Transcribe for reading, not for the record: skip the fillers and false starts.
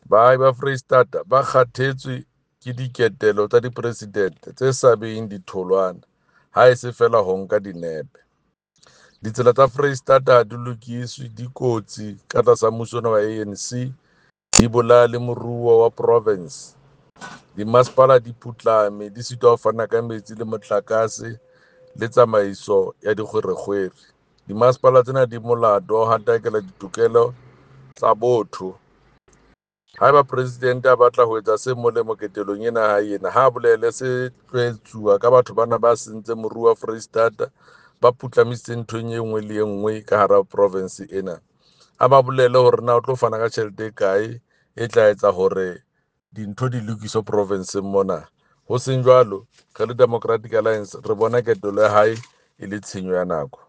Baahi ba Foreisetata ba kgathetswe ke diketelo tsa dipresidente tse sa beheng ditholwana, haese feela ho nka dinepe. Ditsela tsa Foreisetata ha di lokiswe, di kotsi ka tlasa mmuso ona wa ANC, di bolaya le moruo wa province. Dimasepala di putlame, di sitwa ho fana ka metsi le motlakase le tsamaiso ya dikgwerekgwere. Dimasepala tsena di molato wa ho hatakela ditokelo tsa botho. Haeba presidente a batla ho etsa se molemo ketelong ena ya hae ena, ha bolele se tlo etsuwa ka batho bana ba sentseng moruo wa Foreisetata, ba putlamisitseng nthong e nngwe le e nngwe ka hara province ena. A ba bolele hore na o tlo fana ka tjhelete e kae e tla etsa hore dintho di lokiswe provinseng mona. Ho seng jwalo, re le Democratic Alliance re bona ketelo ya hae e le tshenyo ya nako.